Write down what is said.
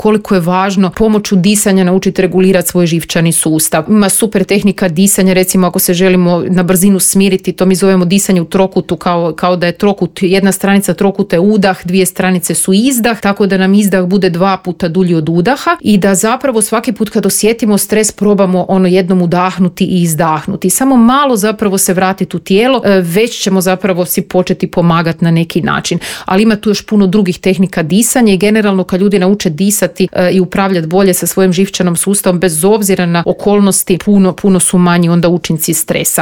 koliko je važno pomoću disanja naučiti regulirati svoj živčani sustav. Ima super tehnika disanja, recimo ako se želimo na brzinu smiriti, to mi zovemo disanje u trokutu, kao da je trokut, jedna stranica trokuta je udah, dvije stranice su izdah, tako da nam izdah bude 2 puta dulji od udaha i da zapravo svaki put kad osjetimo stres probamo jednom udahnuti i izdahnuti. Samo malo zapravo se vratiti u tijelo, već ćemo zapravo si početi pomagati na neki način. Ali ima tu još puno drugih tehnika disanja i generalno kad ljudi nauče disati i upravljati bolje sa svojim živčanom sustavom bez obzira na okolnosti, puno su manji onda učinci stresa.